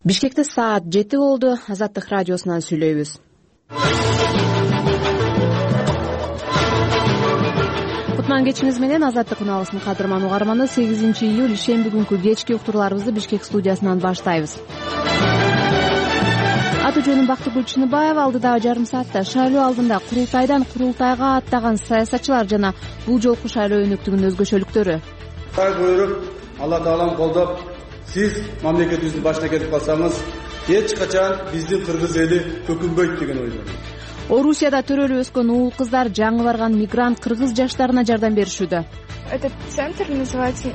Бишкекте саат 7 болду. Азаттык радиосунан сүйлөйбүз. Кутман кечиңиз менен Азаттык унаалысынын кадырман угарманы 8 июль ишемби күнкү кечки уктурууларыбызды Бишкек студиясынан баштайбыз. Аты жөнүм Бактыгүл Чыныбаева. Алдыдагы жарым саатта шайлоо алдында курултайдан курултайга аттаган саясатчылар жана бул жолку шайлоо өнүктүгүнүн өзгөчөлүктөрү. Буйруп, Алла таалам колдоп, сиз мамлекетибиздин башына кетип калсаңыз, эч качан биздин кыргыз эли көкүнбөйт деген ойдомун. Орусияда төрөлүп өскөн уул кыздар жаңы барган мигрант кыргыз жаштарына жардам беришүүдө. Этот центр называется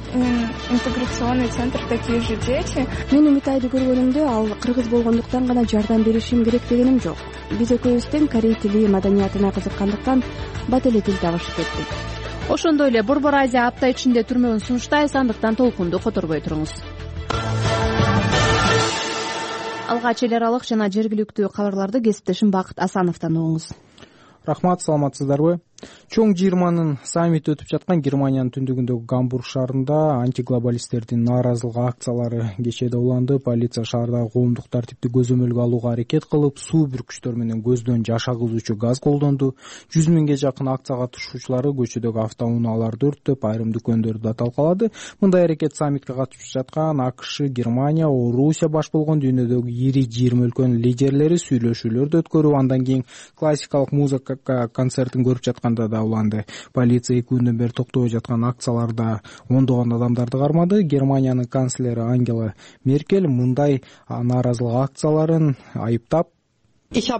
интеграционный центр «Такие же дети». Мен Умитайды көргөнүмдө ал кыргыз болгондуктан гана жардам беришим керек дегеним жок. Биз экөөбүз тең корей тили маданиятына кызыккандыктан бат эле тил табышып кеттик. Ошондой эле Борбор Азия апта ичинде түрмөгүн сунуштайбыз, андыктан толкунду которбой туруңуз. Алгач эл аралык жана жергиликтүү кабарларды кесиптешим Бакыт Асановдон угуңуз. Рахмат, саламатсыздарбы? Чоң 20-нын саммити өтүп жаткан Германиянын түндүгүндөгү Гамбург шаарында антиглобалисттердин нааразылык акциялары кечээде уланды. Полиция шаардагы коомдук тартипти көзөмөлгө алууга аракет кылып, суу бүркүчтөр менен көздөн жаш агызуучу газ колдонду. 100 миңге жакын акция катышуучулары көчөдөгү автоунааларды өрттөп, айрым дүкөндөрдү да талкалады. Мындай аракет саммитке катышып жаткан АКШ, Германия, Орусия баш болгон дүйнөдөгү ири 20 өлкөнүн лидерлери сүйлөшүүлөрдү өткөрүп, андан кийин классикалык музыка концертин көрүп жаткан да уланды. Полиция 2 күндөн бери токтобой жаткан акцияларда ондогон адамдарды кармады. Германиянын канцлери Ангела Меркель мындай нааразылык акцияларын айыптап, тынч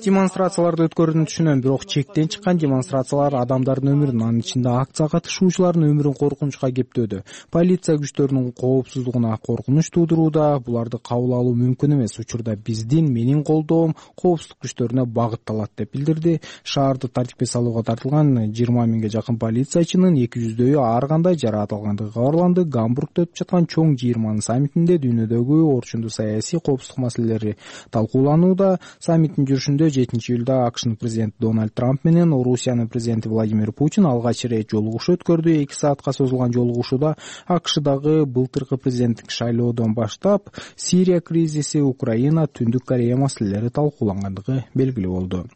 демонстрацияларды өткөрүүнү түшүнөм, бирок чектен чыккан демонстрациялар адамдардын өмүрүн, анын ичинде акция катышуучулардын өмүрүн коркунучка кептөөдө. Полиция күчтөрүнүн коопсуздугуна коркунуч туудурууда, буларды кабыл алуу мүмкүн эмес. Учурда биздин, менин колдоом коопсуздук күчтөрүнө багытталат деп билдирди. Шаарды тартипке салууга тартылган 20 миңге жакын полициячынын 200дөйү ар кандай жараатылгандыгы кабарланды. Гамбургда өтүп жаткан чоң 20 саммитинде дүйнөдөгү орчундуу саясий коопсуздук маселелери талкууланууда. Саммиттин жүрүшүндө 7 июлда АКШнын президенти Дональд Трамп менен Орусиянын президенти Владимир Путин алгач ирет жолугушуу өткөрдү. 2 саатка созулган жолугушууда АКШдагы былтыркы президенттик шайлоодон баштап Сирия кризиси, Украина, Түндүк Корея маселелери талкуулангандыгы белгилүү болду.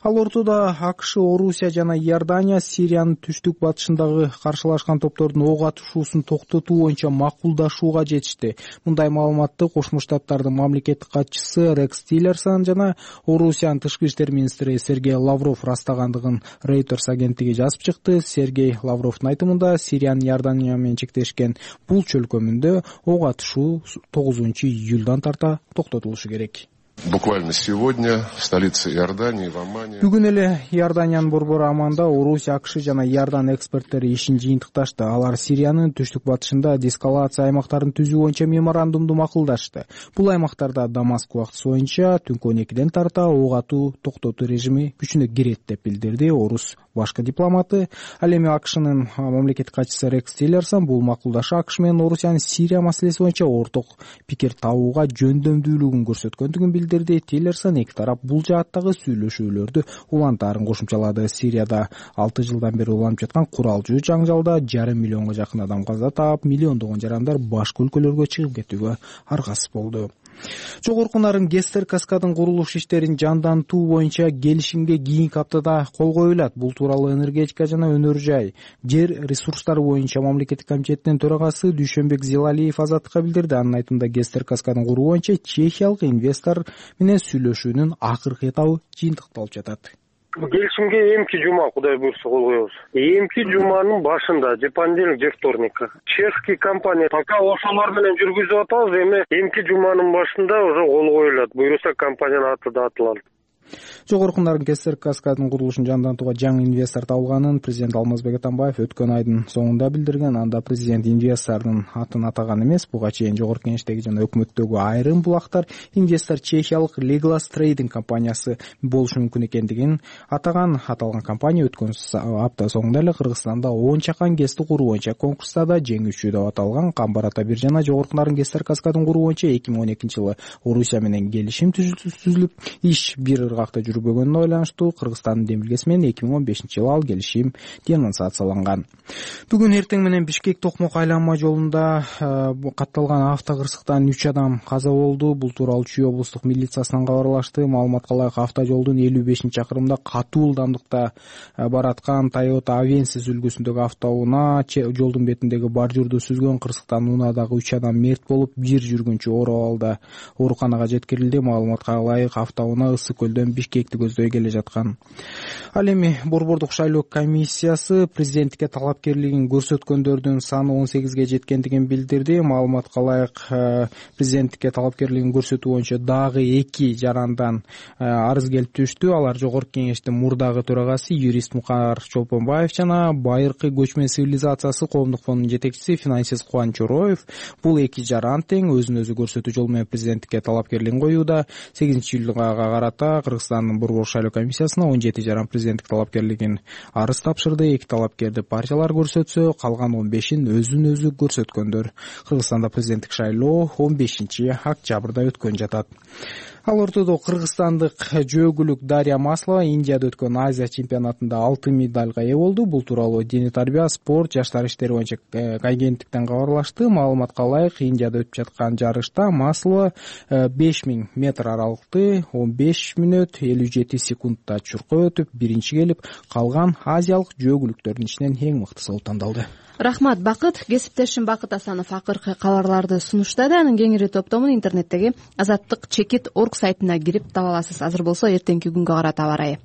Ал ортодо АКШ, Орусия жана Иордания Сириянын түштүк батышындагы каршылашкан топтордун ок атышуусун токтотуу боюнча макулдашууга жетишти. Мындай маалыматты Кошмо Штаттардын мамлекеттик катчысы Рекс Тиллерсон жана Орусиянын тышкы иштер министри Сергей Лавров растагандыгын Reuters агенттиги жазып чыкты. Сергей Лавровдун айтымында Сириянын Иордания менен чектешкен бул чөлкөмүндө ок атышуу 9 июлдан тарта токтотулушу керек. Буквально сегодня в столице Иордании, в Аммане. Бүгүн эле Иорданиянын борбору Амманда Орусия, АКШ жана Иордан эксперттери ишин жыйынтыкташты. Алар Сириянын түштүк батышында деэскалация аймактарын түзүү боюнча меморандумду макулдашты. Бул аймактарда Дамаск убактысы боюнча түнкү 12ден тарта ок атуу токтотуу режими күчүнө кирет деп билдирди Орус башкы дипломаты. Ал эми АКШнын мамлекеттик катчысы Рекс Тиллерсон бул макулдашы АКШ менен Орусиянын Сирия маселеси боюнча орток пикир табууга жөндөмдүүлүгүн көрсөткөндүгүн билдирди. Тиллерсон эки тарап бул жааттагы сүйлөшүүлөрдү улантаарын кошумчалады. Сирияда 6 жылдан бери уланып жаткан куралдуу жаңжалда 5,5 миллионго жакын адам каза таап, миллиондогон жарандар башка өлкөлөргө чыгып кетүүгө аргасыз болду. Жогорку нарын Гестер каскадын курулуш иштерин жандантуу боюнча келишимге кийинки аптада кол коюлат. Бул тууралуу энергетика жана өнөр жай, жер ресурстары боюнча мамлекеттик комитетинин төрагасы Дүйшөнбек Зилалиев Азаттыкка билдирди. Анын айтымында Гестер каскадын куруу боюнча чехиялык инвестор менен сүйлөшүүнүн акыркы этабы жыйынтыкталып жатат. Келишимге эмки жума, Кудай буйрса, кол коебуз. Эмки жуманын башында, же понедельник, же вторникка. Чешский компания пока ошолор менен жүргүзүп атабыз, эми эмки жуманын башында уже кол коюлат. Буйрса компаниянын аты да атылат. Жогорку нарын Гестер каскадынын курулушун жандантууга жаңы инвестор табылганын президент Алмазбек Атамбаев өткөн айдын соңунда билдирген. Анда президент инвестордун атын атаган эмес. Буга чейин жогорку кеңештеги жана өкмөттөгү айрым булактар инвестор чехиялык Legolas Trading компаниясы болушу мүмкүн экендигин атаган. Аталган компания өткөн апта соңунда эле Кыргызстанда 10 чакан ГЭСти куруу боюнча конкурста да жеңүүчү деп аталган. Камбар Атабир жана жогорку нарын Гестер каскадын куруу боюнча 2012-жылы Орусия менен келишим түзүлүп, иш бир ыргакта жүрбөгөнүнө байланыштуу Кыргызстандын демилгеси менен 2015-жылы ал келишим денонсацияланган. Бүгүн эртең менен Бишкек Токмок айланма жолунда катталган автокырсыктан 3 адам каза болду. Бул тууралуу Чүй облустук милициясынан кабарлашты. Маалыматка ылайык автожолдун 55-чакырымда катуу ылдамдыкта бараткан Toyota Avensis үлгүсүндөгү автоунаа жолдун бетиндеги бордюрду сүзгөн. Кырсыктан унаадагы 3 адам мерт болуп, бир жүргүнчү оор абалда ооруканага жеткирилди. Маалыматка ылайык автоунаа Ысык көлдөн Бишкекти көздөй келе жаткан. Ал эми Борбордук шайлоо комиссиясы президенттикке талапкерлигин көрсөткөндөрдүн саны 18ге жеткендигин билдирди. Маалыматка ылайык президенттикке талапкерлигин көрсөтүү боюнча дагы 2 жарандан арыз келип түштү. Алар Жогорку кеңештин мурдагы төрагасы юрист Мукар Чолпонбаев жана Байыркы көчмөн цивилизациясы коомдук фондунун жетекчиси Финансист Кубан Чороев. Бул 2 жаран тең өзүн өзү көрсөтүү жолу менен президенттикке талапкерлигин коюуда. 8-июлга карата Кыргызстандын Борбордук шайлоо комиссиясына 17 жаран президенттик талапкерлигин арыз тапшырды. 2 талапкерди партиялар көрсөтсө, калган 15-ин өзүн өзү көрсөткөндөр. Кыргызстанда президенттик шайлоо 15-октябрда өткөн жатат. Ал ортодо кыргызстандык жөөгүлүк Дарья Маслова Индияда өткөн Азия чемпионатында алтын медальга ээ болду. Бул тууралуу Дене тарбия, спорт, жаштар иштери боюнча агенттиктен кабарлашты. Маалыматка ылайык, Индияда өтүп жаткан жарышта Маслова 5000 метр аралыкты 15 мүнөт 57 секундда чуркап өтүп, биринчи келип, калган азиялык жөөгүлүктөрдүн ичинен эң мыктысы болуп тандалды. Рахмат, Бакыт. Кесиптешим Бакыт Асанов акыркы кабарларды сунуштады. Анын кеңири топтомун интернеттеги Азаттык Чекит.org сайтына кирип таба аласыз. Азыр болсо эртеңки күнгө карата аба ырайы.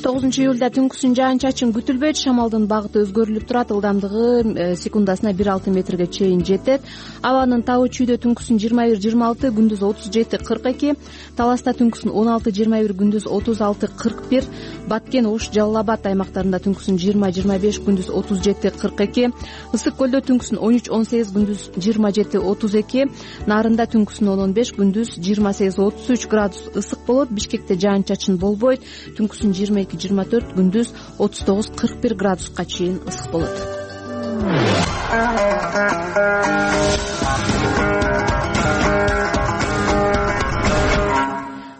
9-июлда түнкүсүн жаан-чачын күтүлбөйт. Шамалдын багыты өзгөрүлүп турат. Ылдамдыгы секундасына 1,6 метрге чейин жетет. Абанын табы Чүйдө түнкүсүн 21-26, күндүз 37-42, Таласта түнкүсүн 16-21, күндүз 36-41, Баткен, Ош, Жалал Абад аймактарында түнкүсүн 20-25, күндүз 37-42, Ысык көлдө түнкүсүн 13-18, күндүз 27-32, Нарында түнкүсүн 10-15, күндүз 28-33 градус ысык болот. Бишкекте жаан-чачын болбойт. Түнкүсүн 22-24, күндүз 39-41 градуска чейин ысык болот.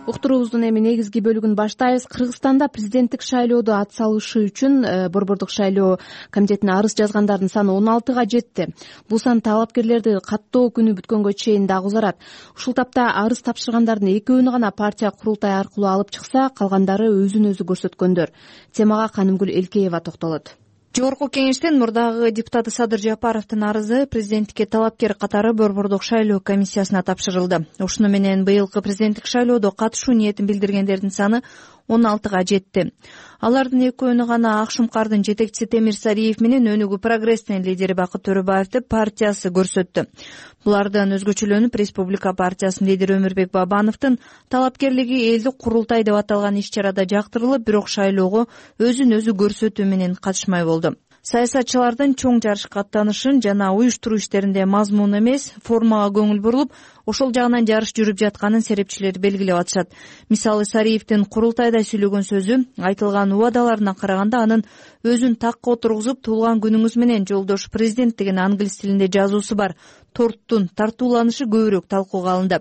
Уктуруубуздун эми негизги бөлүгүн баштайбыз. Кыргызстанда президенттик шайлоодо ат салышы үчүн Борбордук шайлоо комитетине арыз жазгандардын саны 16га жетти. Бул сан талапкерлерди каттоо күнү бүткөнгө чейин дагы узарат. Ушул тапта арыз тапшыргандардын экөөнү гана партия курултайы аркылуу алып чыкса, калгандары өзүн өзү көрсөткөндөр. Темага Канымгүл Элкеева токтолот. Жогорку кеңештин мурдагы депутаты Садыр Жапаровдун арызы президенттикке талапкер катары Борбордук шайлоо комиссиясына тапшырылды. Ушуну менен быйылкы президенттик шайлоодо катышуу ниетин билдиргендердин саны 16га жетти. Алардын экөөнү гана Ак Шумкардын жетекчиси Темир Сариев менен Өнүгүү прогресстин лидери Бакыт Төрөбаевди партиясы көрсөттү. Булардан өзгөчөлөнүп, Республика партиясынын лидери Өмүрбек Бабановдун талапкерлиги элдик курултай деп аталган иш-чарада жактырылып, бирок шайлоого өзүн өзү көрсөтүү менен катышмай болду. Саясатчылардын чоң жарышка аттанышын жана уюштуруу иштеринде мазмун эмес, формага көңүл бурулуп, ошол жагынан жарыш жүрүп жатканын серепчилер белгилеп атышат. Мисалы, Сариевдин курултайда сүйлөгөн сөзү айтылган убадаларына караганда анын өзүн такка отургузуп, туулган күнүңүз менен жолдош президент деген англис тилинде жазуусу бар торттун тартууланышы көбүрөөк талкууга алынды.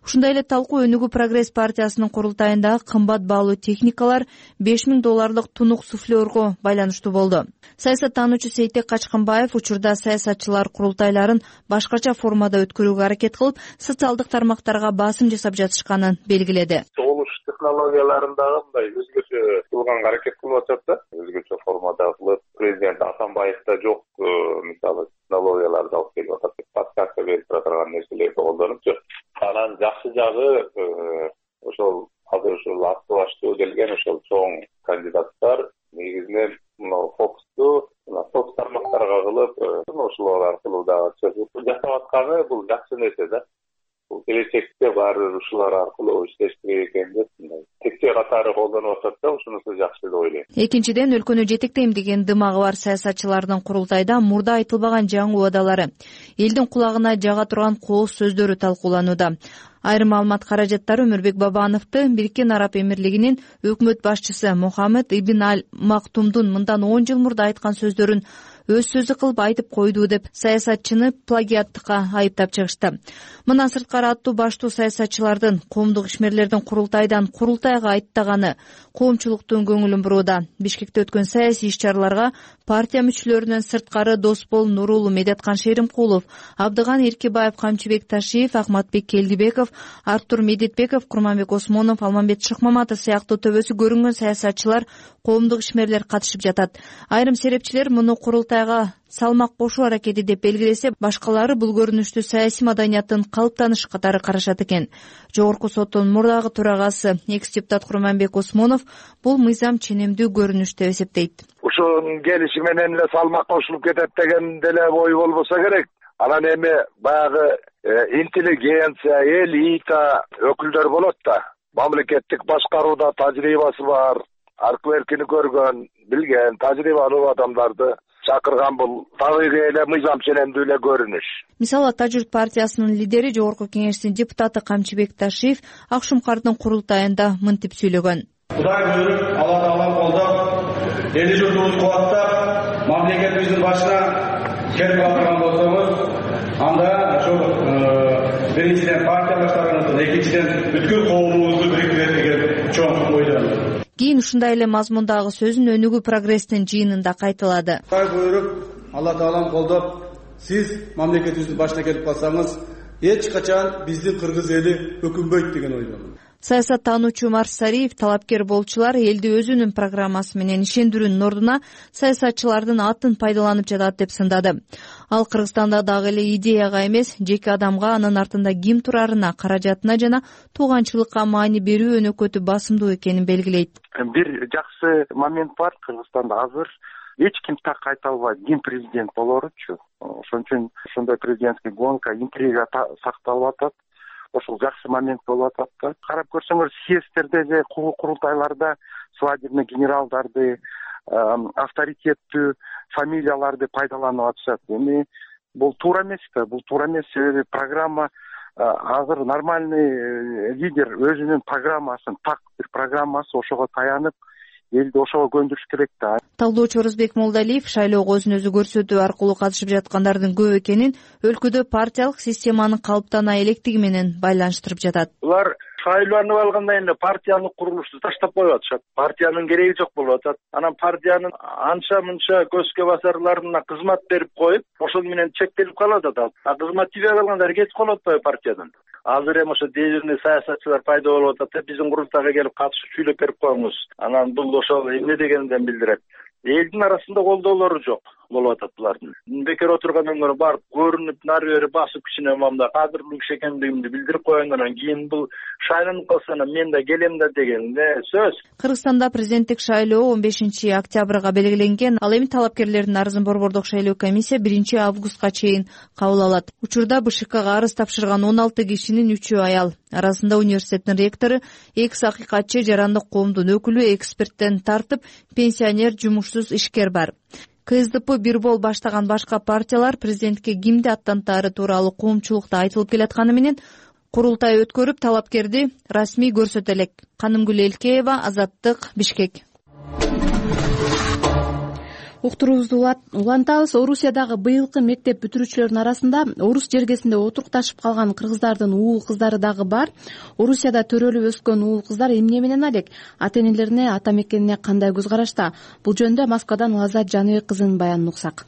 Ушундай эле талкуу Өнүгүү прогресс партиясынын курултайында кымбат баалуу техникалар, $5000 тунук суфлерго байланыштуу болду. Саясаттануучу Сейтек Качкынбаев учурда саясатчылар курултайларын башкача формада өткөрүүгө аракет кылып, социалдык тармактарга басым жасап жатышканын белгиледи. Согулуш технологияларындагы мындай өзгөчө кылганга аракет кылып атышат да, өзгөчө формада кылып, президент Атамбаевда жок, мисалы технологияларды алып келип атат деп подсказка берип турган нерселерди колдонупчу. Анан жакшы жагы ошол азыр ушул акты баштоо келген ошол чоң кандидаттар негизинен мына фокусту соц тармактарга кылып, ошолор аркылуу дагы жасап атканы бул жакшы нерсе да. Бул келечекте баары ушулар аркылуу иштеш керек экен деп текче катары колдонуп атат да, ушунусу жакшы деп ойлойм. Экинчиден, өлкөнү жетектейм деген дымагы бар саясатчылардын курултайда мурда айтылбаган жаңы убадалары, элдин кулагына жага турган кооз сөздөрү талкууланууда. Айрым маалымат каражаттары Өмүрбек Бабановду Бириккен Араб Эмирлигинин өкмөт башчысы Мухаммед ибн Аль Мактумдун мындан 10 жыл мурда айткан сөздөрүн өз сөзү кылып айтып койду деп саясатчыны плагиаттыкка айыптап чыгышты. Мындан сырткары аттуу баштуу саясатчылардын, коомдук ишмерлердин курултайдан курултайга аттаганы коомчулуктун көңүлүн бурууда. Бишкекте өткөн саясий иш-чараларга партия мүчөлөрүнөн сырткары Досбол Нурулу, Медеткан Шеримкулов, Абдыган Эркибаев, Камчыбек Ташиев, Акматбек Келдибеков, Артур Медетбеков, Курманбек Осмонов, Алмамбет Шыкмаматов сыяктуу төбөсү көрүнгөн саясатчылар, коомдук ишмерлер катышып жатат. Айрым серепчилер муну курултайга салмак кошуу аракети деп белгилесе, башкалары бул көрүнүштү саясий маданияттын калыптанышы катары карашат экен. Жогорку соттун мурдагы төрагасы, экс-депутат Курманбек Осмонов бул мыйзам ченемдүү көрүнүш деп эсептейт. Ушунун келиши менен эле салмак кошулуп кетет деген деле ой болбосо керек. Анан эми баягы интеллигенция, элита өкүлдөр болот да. Мамлекеттик башкарууда тажрыйбасы бар, аркы эркини көргөн, билген, тажрыйбалуу адамдарды чакырган бул табигый эле мыйзам ченемдүү эле көрүнүш. Мисалы, Тажүрт партиясынын лидери, Жогорку Кеңештин депутаты Камчыбек Ташиев Акшумкардын курултайында мынтип сүйлөгөн. Кудай буйруп, Алла таалам колдоп, эли журтубузду кубаттап, мамлекетибиздин башына келип калган болсоңуз, анда ошол биринчиден партиялаштарыңыздын, экинчиден бүткүл коомубузду бириктирет деген чоң ойдомун. Кийин ушундай эле мазмундагы сөзүн өнүгүү прогресстин жыйынында кайталады. Кудай буйруп, Алла таалам колдоп, сиз мамлекетибиздин башына келип калсаңыз, эч качан биздин кыргыз эли өкүнбөйт деген ойдомун. Саясаттануучу Марс Сариев талапкер болчулар элди өзүнүн программасы менен ишендирүүнүн ордуна саясатчылардын атын пайдаланып жатат деп сындады. Ал Кыргызстанда дагы эле идеяга эмес, жеке адамга, анын артында ким турарына, каражатына жана тууганчылыкка маани берүү өнөкөтү басымдуу экенин белгилейт. Бир жакшы момент бар Кыргызстанда азыр. Эч ким так айта албайт ким президент болоручу. Ошон үчүн ошондой президентский гонка, интрига сакталып атат. Ошол жакшы момент болуп атат да. Карап көрсөңөр, съездтерде же курултайларда свадебный генералдарды, авторитеттүү фамилияларды пайдаланып атышат. Эми бул туура эмес да, бул туура эмес. Себеби программа азыр нормальный лидер өзүнүн программасын, так бир программасы, ошого таянып, элди ошого көндүрүш керек да. Талдоочу Орозбек Молдалиев шайлоого өзүн өзү көрсөтүү аркылуу катышып жаткандардын көп экенин өлкөдө партиялык системанын калыптана электиги менен байланыштырып жатат. Булар шайланып алгандан кийин партиялык курулушту таштап коюп атышат. Партиянын кереги жок болуп атат. Анан партиянын анча-мынча көзгө басарларына кызмат берип коюп, ошол менен чектелип калат атат. Кызмат тийбей калгандар кетип калып атпайбы партиядан? Азыр эми ошо дежурный саясатчылар пайда болуп атат. Биздин курултайга келип катышып сүйлөп берип коюңуз. Анан бул ошол эмне дегенден билдирет. Элдин арасында колдоолору жок болуп атат булардын. Бекер отургандан көрө барып көрүнүп, нары бери басып кичине мамда кадырлуу киши экендигимди билдирип койгондон кийин бул шайланып калса мен да келем да деген сөз. Кыргызстанда президенттик шайлоо 15 октябрга белгиленген. Ал эми талапкерлердин арызын Борбордук шайлоо комиссия 1 августка чейин кабыл алат. Учурда БШКга арыз тапшырган 16 кишинин 3-өө аял. Арасында университеттин ректору, экс-акыйкатчы, жарандык коомдун өкүлү, эксперттен тартып пенсионер, жумушсуз ишкер бар. КСДП Бирбол баштаган башка партиялар президентке кимди аттантаары тууралуу коомчулукта айтылып келатканы менен курултай өткөрүп, талапкерди расмий көрсөтө элек. Канымгүл Элкеева, Азаттык, Бишкек. Уктуруубузду улантабыз. Орусиядагы быйылкы мектеп бүтүрүүчүлөрдүн арасында орус жергесинде отурукташып калган кыргыздардын уул кыздары дагы бар. Орусияда төрөлүп өскөн уул кыздар эмне менен алек? Ата-энелерине, ата мекенине кандай көз карашта? Бул жөнүндө Москвадан Лазат Жаныбек кызынын баянын уксак.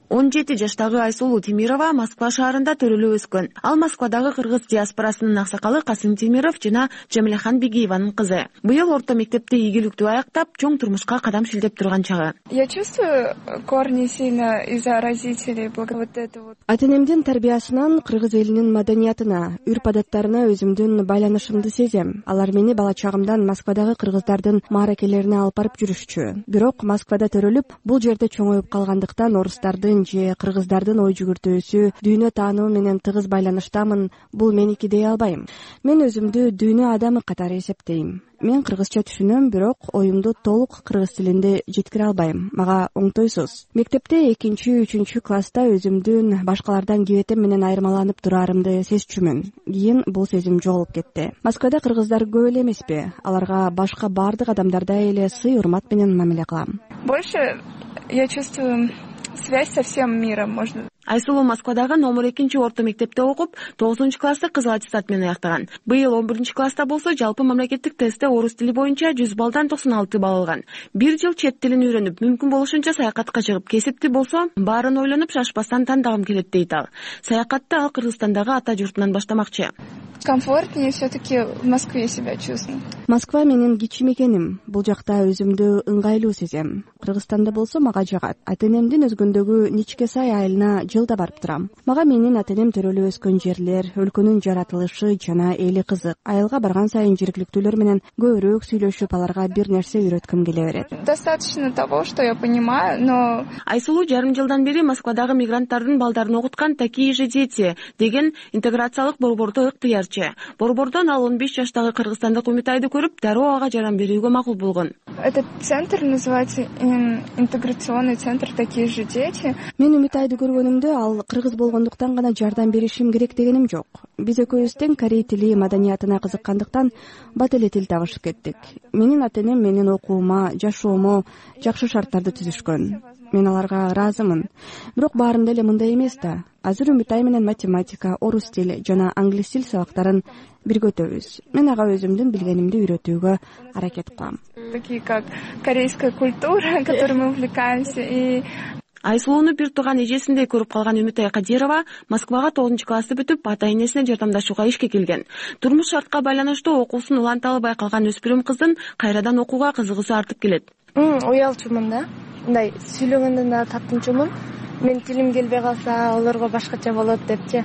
17 жаштагы Айсулуу Темирова Москва шаарында төрөлүп өскөн. Ал Москвадагы кыргыз диаспорасынын аксакалы Касым Темиров жана Жамилахан Бегиеванын кызы. Быйыл орто мектепти ийгиликтүү аяктап, чоң турмушка кадам шилдеп турган чагы. Я чувствую корни сильно из-за родителей, вот это вот. Ата-энемдин тарбиясынан кыргыз элинин маданиятына, үрп-адаттарына өзүмдүн байланышымды сезем. Алар мени бала чагымдан Москвадагы кыргыздардын мааракелерине алып барып жүрүшчү. Бирок Москвада төрөлүп, бул жерде чоңоюп калгандыктан орустардын же кыргыздардын ой жүгүртүүсү, дүйнө таануу менен тыгыз байланыштамын. Бул меники дей албайм. Мен өзүмдү дүйнө адамы катары эсептейм. Мен кыргызча түшүнөм, бирок оюмду толук кыргыз тилинде жеткире албайм. Мага оңтойсуз. Мектепте 2-3 класста өзүмдүн башкалардан кебетем менен айырмаланып турарымды сезчүмүн. Кийин бул сезим жоголуп кетти. Москвада кыргыздар көп эле эмеспи? Аларга башка бардык адамдардай эле сый урмат менен мамиле кылам. Больше я чувствую связь со всем миром, можно. Айсулуу Москвадагы номер 2 орто мектепте окуп, 9-классты кызыл аттестат менен аяктаган. Быйыл 11-класста болсо, жалпы мамлекеттик тестте орус тили боюнча 100 баллдан 96 балл алган. Бир жыл чет тилин үйрөнүп, мүмкүн болушунча саякатка чыгып, кесипти болсо, баарын ойлонуп, шашпастан тандагым келет дейт ал. Саякатты ал Кыргызстандагы ата журтунан баштамакчы. Комфортнее все-таки в Москве себя чувствую. Москва менин кичим экеним. Бул жакта өзүмдү ыңгайлуу сезем. Кыргызстанда болсо мага жагат. Ата-энемдин өзгөндөгү Ничке Сай айылына жылда барып турам. Мага менин ата-энем төрөлүп өскөн жерлер, өлкөнүн жаратылышы жана эли кызык. Айылга барган сайын жергиликтүүлөр менен көбүрөөк сүйлөшүп, аларга бир нерсе үйрөткүм келе берет. Достаточно того, что я понимаю, но... Айсулуу жарым жылдан бери Москвадагы мигранттардын балдарын окуткан «Такие же дети» деген интеграциялык борбордо ыктыярчы. Борбордон ал 15 жаштагы кыргызстандык Үмүтайды көрүп, дароо ага жардам берүүгө макул болгон. Этот центр называется интеграционный центр «Такие же дети». Мен Үмүтайды көргөнүмдө ал кыргыз болгондуктан гана жардам беришим керек дегеним жок. Биз экөөбүз тең корей тили маданиятына кызыккандыктан бат эле тил табышып кеттик. Менин ата-энем менин окуума, жашоомо жакшы шарттарды түзүшкөн. Мен аларга ыраазымын. Бирок баарында эле мындай эмес да. Азыр Үмүтай менен математика, орус тил жана англис тил сабактарын бирге өтөбүз. Мен ага өзүмдүн билгенимди үйрөтүүгө аракет кылам. Такие как корейская культура, которой мы увлекаемся, и Айсулууну бир тууган эжесиндей көрүп калган Үмүтай Кадирова Москвага 9-классты бүтүп, ата-энесине жардамдашууга ишке келген. Турмуш шартка байланыштуу окуусун уланта албай калган өспүрүм кыздын кайрадан окууга кызыгуусу артып келет. Уялчумун да. Мындай сүйлөгөндөн да таттынчумун. Мен тилим келбей калса, олорго башкача болот депчи.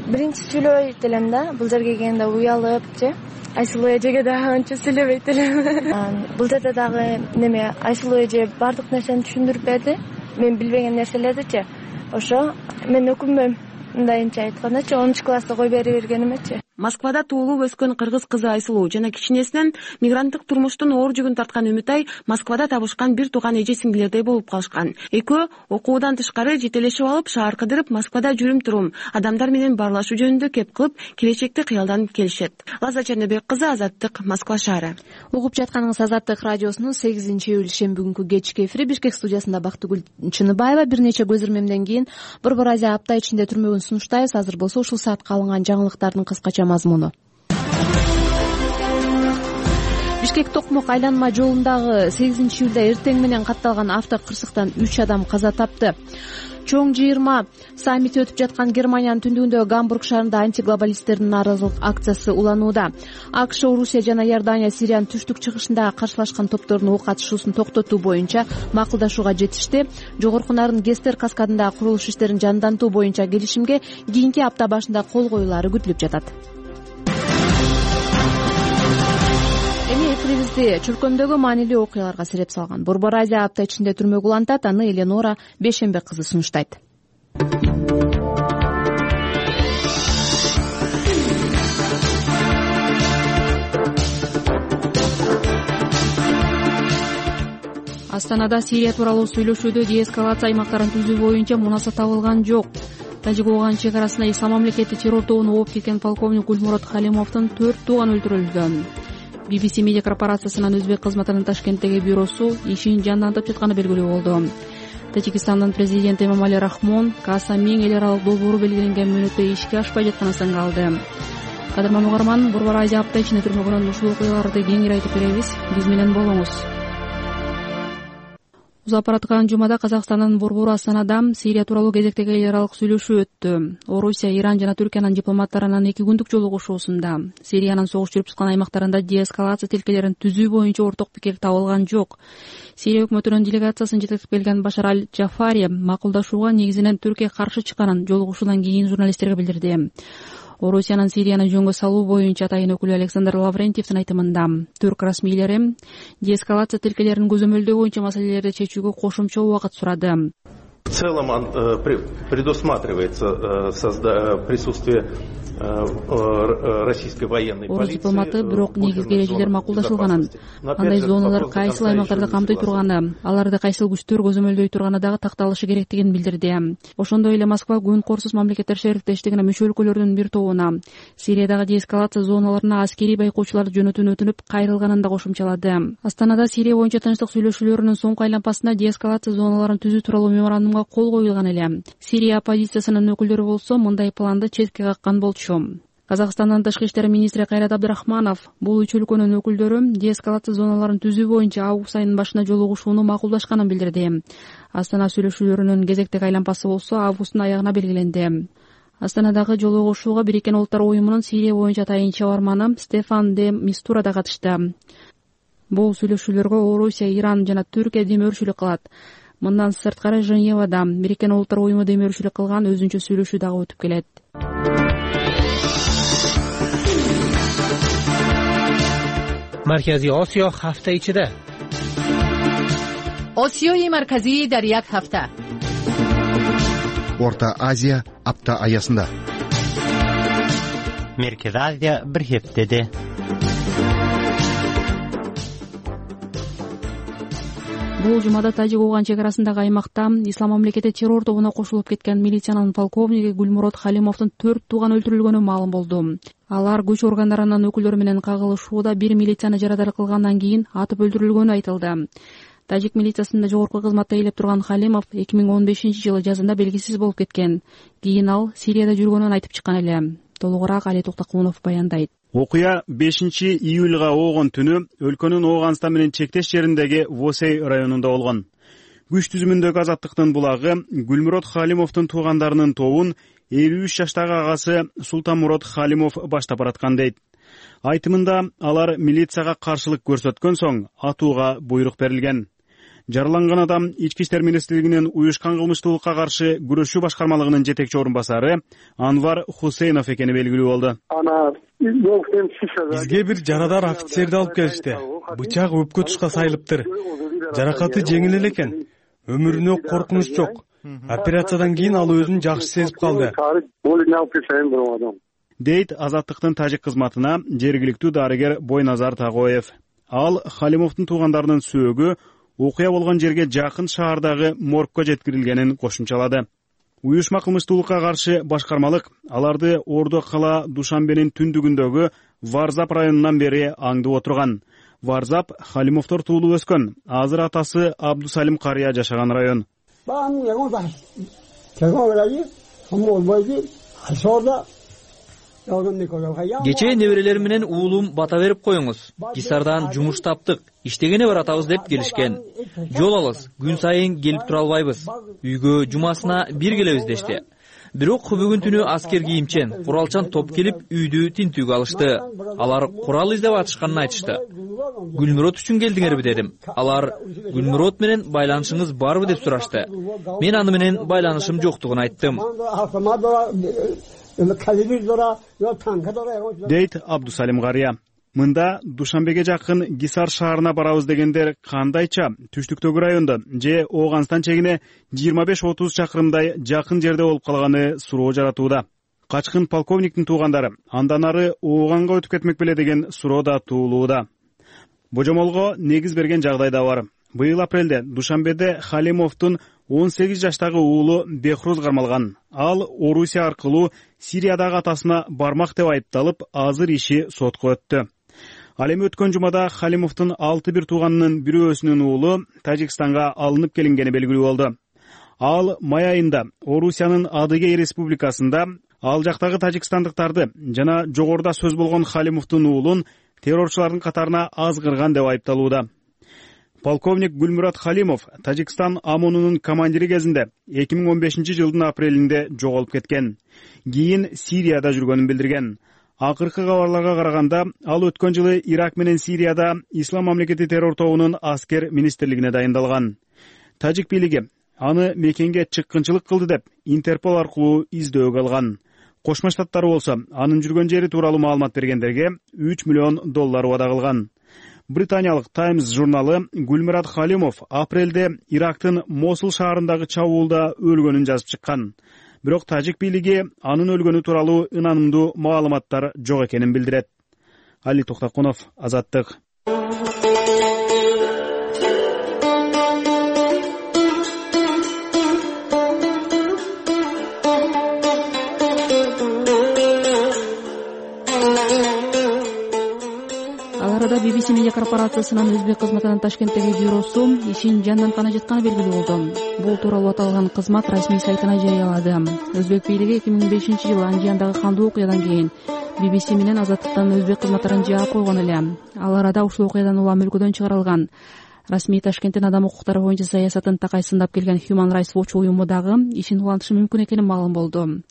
Биринчи сүйлөбөйт элем да, бул жерге келгенде уялыпчы. Айсулуу эжеге да анча сүйлөбөйт элем. Бул жерде дагы неме Айсулуу эже бардык нерсени түшүндүрүп берди. Мен билбеген нерселердичи. Ошо мен өкүнбөйм. Мындайынча айткандачы 10-класста кой берип бергенимечи. Москвада туулуп өскөн кыргыз кызы Айсулуу жана кичинесинен мигранттык турмуштун оор жүгүн тарткан Үмүтай Москвада табышкан бир тууган эже сиңдилердей болуп калышкан. Экөө окуудан тышкары жетелешип алып, шаар кыдырып, Москвада жүрүм-турум, адамдар менен баарлашуу жөнүндө кеп кылып, келечекти кыялданып келишет. Лаза Чернебек кызы, Азаттык, Москва шаары. Угуп жатканыңыз Азаттык радиосунун 8-июль шемби күнкү кечки эфири. Бишкек студиясында Бактыгүл Чыныбаева. Бир нече көз ирмемден кийин Борбор Азия апта ичинде түрмөгүн сунуштайбыз. Азыр болсо ушул саатка алынган жаңылыктардын кыскача мазмуну. Бишкек Токмок айланма жолундагы 8-июлда эртең менен катталган автокырсыктан 3 адам каза тапты. Чоң 20 саммити өтүп жаткан Германиянын түндүгүндөгү Гамбург шаарында антиглобалисттердин нааразылык акциясы уланууда. АКШ, Орусия жана Иордания Сириянын түштүк чыгышында каршылашкан топтордун ок атышуусун токтотуу боюнча макулдашууга жетишти. Жогорку Нарын Гестер каскадындагы курулуш иштерин жандантуу боюнча келишимге кийинки апта башында кол коюлаары күтүлүп жатат. Эфирибизди чуркөмдөгү маанилүү окуяларга сереп салган Борбор Азия апта ичинде түрмөгө улантат. Аны Эленора Бешембек кызы сунуштайт. Астанада Сирия тууралуу сүйлөшүүдө деэскалация аймактарын түзүү боюнча мунаса табылган жок. Тажик-Ооган чек арасында Ислам мамлекети террор тобуна ооп кеткен полковник Гульмурод Халимовдун 4 тууганы өлтүрүлгөн. BBC медиа корпорациясынын өзбек кызматынын Ташкенттеги бюросу ишин жандантып жатканы белгилүү болду. Тажикстандын президенти Эмомали Рахмон КАСАМИң эл аралык долбоору белгиленген мөөнөттө ишке ашпай жатканын сынга Кадырман угарман, Борбор Азия апта ичинде түрмөгүнөн ушул окуяларды кеңири айтып беребиз. Биз менен болуңуз. Узапараткан жумада Казакстандын борбору Астанада Сирия тууралуу кезектеги эл аралык сүйлөшүү өттү. Орусия, Иран жана Түркиянын дипломаттарынын 2 күндүк жолугушуусунда Сириянын согуш жүрүп жаткан аймактарында деэскалация тилкелерин түзүү боюнча орток пикир табылган жок. Сирия өкмөтүнүн делегациясын жетектеп келген Башар аль-Джафари макулдашууга негизинен Түркия каршы чыкканын жолугушуудан кийин журналисттерге билдирди. Орусиянын Сирияны жөнгө салуу боюнча атайын өкүлү Александр Лаврентьевдин айтымында түрк расмийлери деэскалация тилкелерин көзөмөлдөө боюнча маселелерди чечүүгө кошумча убакыт сурады. В целом предусматривается присутствие российской военной полиции. Орус дипломаты бирок негизги эрежелер макулдашылганын, кандай зоналар кайсыл аймактарды камтый турганы, аларды кайсыл күчтөр көзөмөлдөй турганы дагы такталышы керектигин билдирди. Ошондой эле Москва күн Коорсуз мамлекеттер шериктештигине мүчө өлкөлөрдүн бир тобуна Сириядагы деэскалация зоналарына аскерий байкоочуларды жөнөтүүнү өтүнүп кайрылганын да кошумчалады. Астанада Сирия боюнча тынчтык сүйлөшүүлөрүнүн соңку айланпасында деэскалация зоналарын түзүү тууралуу меморандумга кол коюлган эле. Сирия оппозициясынын өкүлдөрү болсо мындай планды четке каккан болчу. Казакстандын тышкы иштер министри Кайрат Абдрахманов бул үч өлкөнүн өкүлдөрү деэскалация зоналарын түзүү боюнча август айынын башында жолугушууну макулдашканын билдирди. Астана сүйлөшүүлөрүнүн кезектеги айланпасы болсо августтун аягына белгиленди. Астанадагы жолугушууга Бириккен Улуттар уюмунун Сирия боюнча тайын чабарманы Стефан де Мистура да катышты. Бул сүйлөшүүлөргө Орусия, Иран жана Түркия демөөрчүлүк кылат. Мындан сырткары Женевада Бириккен Улуттар уюму демөөрчүлүк кылган өзүнчө сүйлөшүү дагы өтүп келет. مرکزی آسیا هفته ichida. آسیای مرکزی در یک هفته. Орта Азия апта аясында. Merkez Азия bir heftede. Бул жумада Тажик-Ооган чек арасындагы аймакта Ислам мамлекети террор тобуна кошулуп кеткен милициянын полковниги Гүлмурод Халимовдун 4 тууганы өлтүрүлгөнү маалым болду. Алар күч органдарынын өкүлдөрү менен кагылышууда бир милицияны жарадар кылгандан кийин атып өлтүрүлгөнү айтылды. Тажик милициясында жогорку кызматта ээлеп турган Халимов 2015-жылы жазында белгисиз болуп кеткен. Кийин ал Сирияда жүргөнүн айтып чыккан эле. Толугураак Али Токтокунов баяндайт. Окуя 5-июлга Оогон түнү өлкөнүн Ооганстан менен чектеш жериндеги Восей районунда болгон. Күч түзүмүндөгү Азаттыктын булагы Гүлмурод Халимовдун туугандарынын тобун 53 жаштагы агасы Султанмурод Халимов баштап бараткан дейт. Айтымында алар милицияга каршылык көрсөткөн соң атууга буйрук берилген. Жараланган адам Ички иштер министрлигинин уюшкан кылмыштуулукка каршы күрөшүү башкармалыгынын жетекчи орун басары Анвар Хусейнов экени белгилүү болду. Бизге бир жарадар офицерди алып келишти. Бычак өпкө тушка сайылыптыр. Жаракаты жеңил эле экен. Өмүрүнө коркунуч жок. Операциядан кийин ал өзүн жакшы сезип калды. Дейт Азаттыктын тажик кызматына жергиликтүү дарыгер Бойназар Тагоев. Ал Халимовдун туугандарынын сөөгү окуя болгон жерге жакын шаардагы моргко жеткирилгенин кошумчалады. Уюшма кылмыштуулукка каршы башкармалык аларды Ордо кала Душанбенин түндүгүндөгү Варзап районунан бери аңдып отурган. Варзап Халимовдор туулуп өскөн, азыр атасы Абдусалим карыя жашаган район. Кечээ неберелерим менен уулум бата берип коюңуз. Кисардан жумуш таптык, иштегене баратабыз деп келишкен. Жол алыс, күн сайын келип тура албайбыз. Үйгө жумасына бир келебиз дешти. Бирок бүгүн түнү аскер кийимчен, куралчан топ келип үйдү тинтүүгө алышты. Алар курал издеп атышканын айтышты. Гүлмурод үчүн келдиңерби дедим. Алар Гүлмурод менен байланышыңыз барбы деп сурашты. Мен аны менен байланышым жоктугун айттым. Дейт Абдусалим карыя. Мында Душанбеге жакын Гисар шаарына барабыз дегендер кандайча түштүктөгү райондо же Ооганстан чегине 25-30 чакырымдай жакын жерде болуп калганы суроо жаратууда. Качкын полковниктин туугандары андан ары Ооганга өтүп кетмек беле деген суроо да туулууда. Божомолго негиз берген жагдай да бар. Быйыл апрелде Душанбеде Халимовдун 18 жаштагы уулу Бехруз кармалган. Ал Орусия аркылуу Сириядагы атасына бармак деп айыпталып, азыр иши сотко өттү. Ал эми өткөн жумада Халимовдун 6 тууганынын бирөөсүнүн уулу Тажикстанга алынып келингени белгилүү болду. Ал май айында Орусиянын Адыгей республикасында ал жактагы тажикстандыктарды жана жогоруда сөз болгон Халимовдун уулун террорчулардын катарына азгырган деп айыпталууда. Полковник Гүлмурод Халимов Тажикстан ОМОНунун командири кезинде 2015-жылдын апрелинде жоголуп кеткен. Кийин Сирияда жүргөнүн билдирген. Акыркы кабарларга караганда, ал өткөн жылы Ирак менен Сирияда Ислам мамлекети террор тобунун аскер министрлигине дайындалган. Тажик бийлиги аны мекенге чыккынчылык кылды деп Интерпол аркылуу издөөгө алган. Кошмо Штаттар болсо анын жүргөн жери тууралуу маалымат бергендерге $3 миллион убада кылган. Британиялык Times журналы Гүлмурод Халимов апрелде Ирактын Мосул шаарындагы чабуулда өлгөнүн жазып чыккан. бирок тажик бийлиги анын өлгөнү тууралуу ынанымдуу маалыматтар жок экенин билдирет. Али Токтокунов, Азаттык. BBC медиа корпорациясынын өзбек кызматынын Ташкенттеги бюросу ишин жандантканы жатканы белгилүү болду. Бул тууралуу аталган кызмат расмий сайтына жарыялады. Өзбек бийлиги 2005-жылы Анжияндагы кандуу окуядан кийин BBC менен Азаттыктан өзбек кызматтарын жаап койгон эле. Ал арада ушул окуядан улам өлкөдөн чыгарылган. Расмий Ташкенттин адам укуктары боюнча саясатын такайсындап келген Human Rights Watch уюму дагы ишин улантышы мүмкүн экени маалым болду.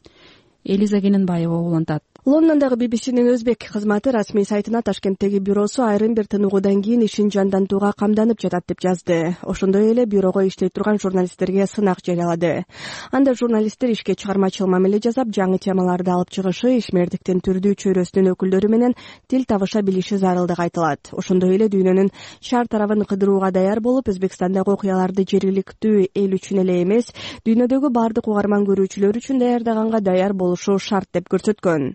Элиза Кененбаева улантат. Лондондогу BBCнин өзбек кызматы расмий сайтына Ташкенттеги бюросу айрым бир тыныгуудан кийин ишин жандантууга камданып жатат деп жазды. Ошондой эле бюрого иштей турган журналисттерге сынак жарыялады. Анда журналисттер ишке чыгармачыл мамиле жасап, жаңы темаларды алып чыгышы, ишмердиктин түрдүү чөйрөсүнүн өкүлдөрү менен тил табыша билиши зарылдыгы айтылат. Ошондой эле дүйнөнүн шаар тарабын кыдырууга даяр болуп, Өзбекстандагы окуяларды жергиликтүү эл үчүн эле эмес, дүйнөдөгү бардык угарман көрүүчүлөр үчүн даярдаганга даяр болушу шарт деп көрсөткөн.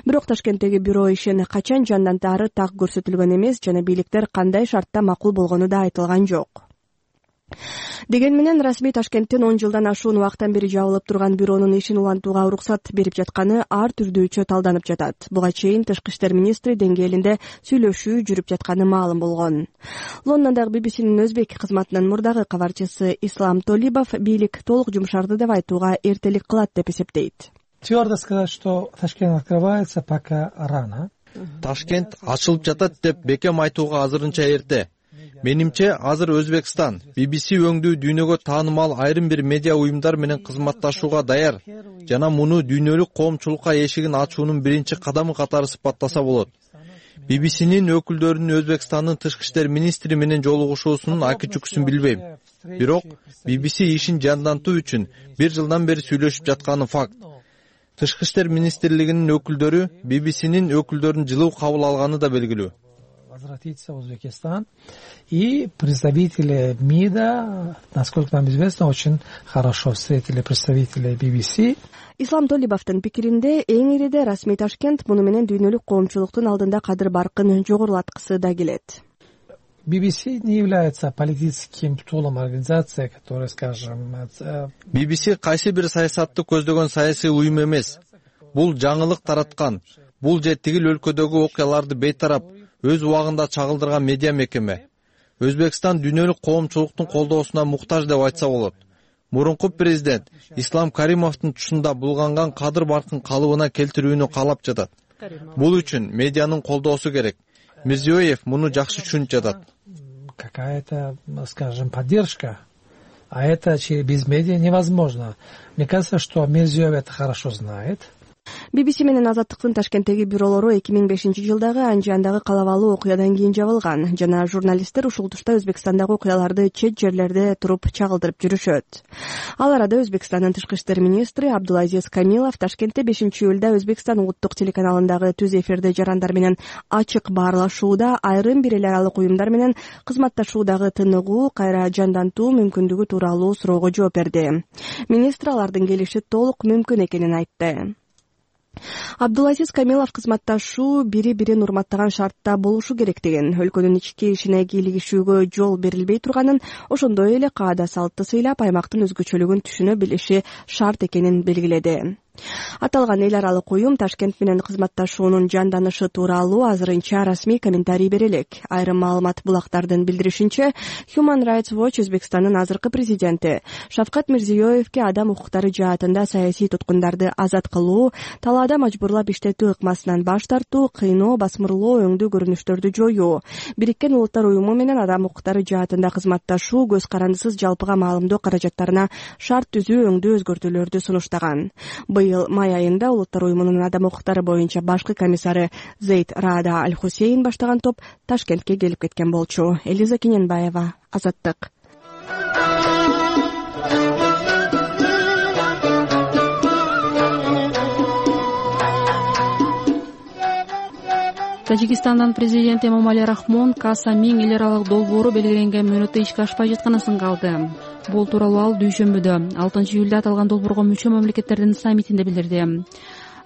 Бирок Ташкенттеги бюро ишин качан жандантаары так көрсөтүлгөн эмес жана бийликтер кандай шартта макул болгону да айтылган жок. Деген менен расмий Ташкенттин 10 жылдан ашуун убакыттан бери жабылып турган бюронун ишин улантууга уруксат берип жатканы ар түрдүүчө талданып жатат. Буга чейин Тышкы иштер министри деңгээлинде сүйлөшүү жүрүп жатканы маалым болгон. Лондондогу BBCнин өзбек кызматынын мурдагы кабарчысы Ислам Толибов бийлик толук жумшарды деп айтууга эртелик кылат деп эсептейт. Твердо сказать, что Ташкент открывается, пока рано. Ташкент ачылып жатат деп бекем айтууга азырынча эрте. Менимче азыр Өзбекстан BBC өңдүү дүйнөгө таанымал айрым бир медиа уюмдар менен кызматташууга даяр жана муну дүйнөлүк коомчулукка эшигин ачуунун биринчи кадамы катары сыпаттаса болот. BBCнин өкүлдөрүнүн Өзбекстандын тышкы иштер министри менен жолугушуусунун аки-чүкүсүн билбейм. Бирок BBC ишин жандантуу үчүн 1 жылдан бери сүйлөшүп жатканы факт. Тышкы иштер министрлигинин өкүлдөрү BBCнин өкүлдөрүн жылуу кабыл алганы да белгилүү. Возвратиться в Узбекистан. И представители МИДа, насколько нам известно, очень хорошо встретили представителей BBC. Ислам Толибовдун пикиринде эң ириде расмий Ташкент муну менен дүйнөлүк коомчулуктун алдында кадыр баркын жогорулаткысы да келет. BBC не является политическим тулом организации, которая, скажем... BBC кайсы бир саясатты көздөгөн саясий уюм эмес. Бул жаңылык тараткан, бул же тигил өлкөдөгү окуяларды бейтарап, өз убагында чагылдырган медиа мекеме. Өзбекстан дүйнөлүк коомчулуктун колдоосуна муктаж деп айтса болот. Мурунку президент Ислам Каримовдун тушунда булганган кадыр баркын калыбына келтирүүнү каалап жатат. Бул үчүн медианын колдоосу керек. Мирзиёев муну жакшы түшүнүп жатат. Какая-то, скажем, поддержка. А это без медиа невозможно. Мне кажется, что Мирзиёев это хорошо знает. BBC менен Азаттыктын Ташкенттеги бюролору 2005-жылдагы Анжияндагы калабалуу окуядан кийин жабылган жана журналисттер ушул тушта Өзбекстандагы окуяларды чет жерлерде туруп чагылдырып жүрүшөт. Ал арада Өзбекстандын тышкы иштер министри Абдулазиз Камилов Ташкентте 5-июлда Өзбекстан улуттук телеканалындагы түз эфирде жарандар менен ачык баарлашууда айрым бир эл аралык уюмдар менен кызматташуудагы тыныгуу, кайра жандантуу мүмкүндүгү тууралуу суроого жооп берди. Министр алардын келиши толук мүмкүн экенин айтты. Абдулазиз Камилов кызматташуу бири-бирин урматтаган шартта болушу керектигин, өлкөнүн ички ишине кийлигишүүгө жол берилбей турганын, ошондой эле каада салтты сыйлап аймактын өзгөчөлүгүн түшүнө билиши шарт экенин белгиледи. Аталган эл аралык уюм Ташкент менен кызматташуунун жанданышы тууралуу азырынча расмий комментарий бере элек. Айрым маалымат булактардын билдиришинче, Human Rights Watch Өзбекстандын азыркы президенти Шавкат Мирзиёевке адам укуктары жаатында саясий туткундарды азат кылуу, талаада мажбурлап иштетүү ыкмасынан баш тартуу, кыйноо, басмырлоо, өңдүү көрүнүштөрдү жоюу, Бириккен Улуттар уюму менен адам укуктары жаатында кызматташуу, көз карандысыз жалпыга маалымдоо каражаттарына шарт түзүү, өңдүү өзгөртүүлөрдү сунуштаган. Быйыл май айында Улуттар уюмунун адам укуктары боюнча башкы комиссары Зейд Раада Аль-Хусейн баштаган топ Ташкентке келип кеткен болчу. Элиза Кененбаева, Азаттык. Тажикстандын президенти Эмомали Рахмон Каса Миң эл аралык долбоору белгиленген мөөнөттө ишке ашпай жатканын сынга алды. Бул тууралуу ал дүйшөмбүдө 6-июлда аталган долбоорго мүчө мамлекеттердин саммитинде билдирди.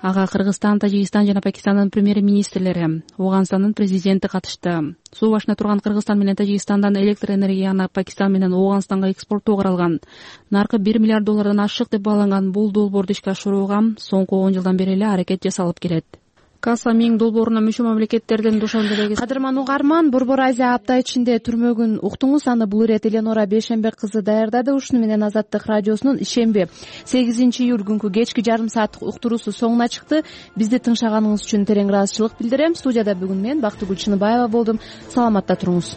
Ага Кыргызстан, Тажикстан жана Пакистандын премьер-министрлери, Ооганстандын президенти катышты. Суу башында турган Кыргызстан менен Тажикстандан электр энергияны Пакистан менен Ооганстанга экспорттоо каралган. Наркы $1 миллиард ашык деп бааланган бул долбоорду ишке ашырууга соңку 10 жылдан бери эле аракет жасалып келет. Каса Миң долбооруна мүчө мамлекеттердин душанбедеги кадырман угарман Борбор Азия апта ичинде түрмөгүн уктуңуз. Аны бул ирет Эленора Бейшембек кызы даярдады. Ушуну менен Азаттык радиосунун ишемби 8-июль күнкү кечки жарым сааттык уктуруусу соңуна чыкты. Бизди тыңшаганыңыз үчүн терең ыраазычылык билдирем. Студияда бүгүн мен Бактыгүл Чыныбаева болдум. Саламатта туруңуз.